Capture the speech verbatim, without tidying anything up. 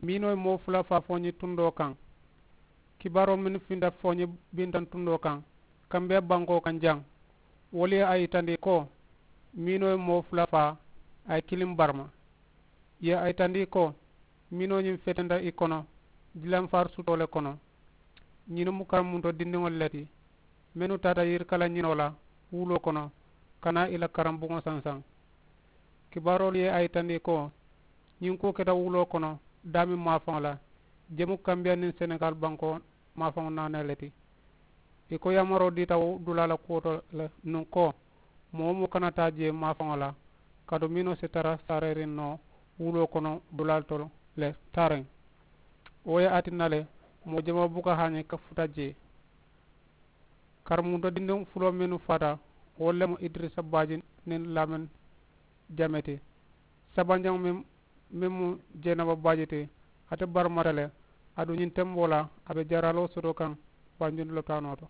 Miinoo ye moo fula faa fooñi tundoo kaŋ. Kibaaroo mennu finta fooñi bintaŋ tundoo kaŋ, kambiya bankoo kaŋ jaŋ, wolu ye a yitandi ko miinoo ye moo fula faa, a ye kiliŋ barama. Ye a yitandi ko miinoo ñiŋ fetenta i kono dilamfaari sutoo le kono. Ñiŋ mu karamunto dindiŋolu le ti mennu taata yirikala ñinoo la wuloo kono ka naa i la karambuŋo sansaŋ. Kibaaroolu ye a yitandi ko ñiŋ kuwo keta wuloo kono daameŋ maafaŋo la, jemu kambiya niŋ senegaali bankoo maafaŋo naanee le ti. I ko yamaroo diita dulaa la kuwo to le nuŋ ko moo wo moo kana taa jee maafaŋo la kaatu miinoo si tara saareeriŋ noo wuloo kono dulaalu to le taariŋ. Wo ye a tinna le moo jamaa buka haañi ka futa jee. Karamunto dindiŋ fuloo mennu faata wolu le mu idirisa baaji niŋ laameŋ jame ti. Sabanjaŋo meŋ meŋ mu jeenaba baaji ti, ate baramata le. Aduŋ ñiŋ temboo la a be jaraaloo soto kaŋ banjunti lopitaanoo to.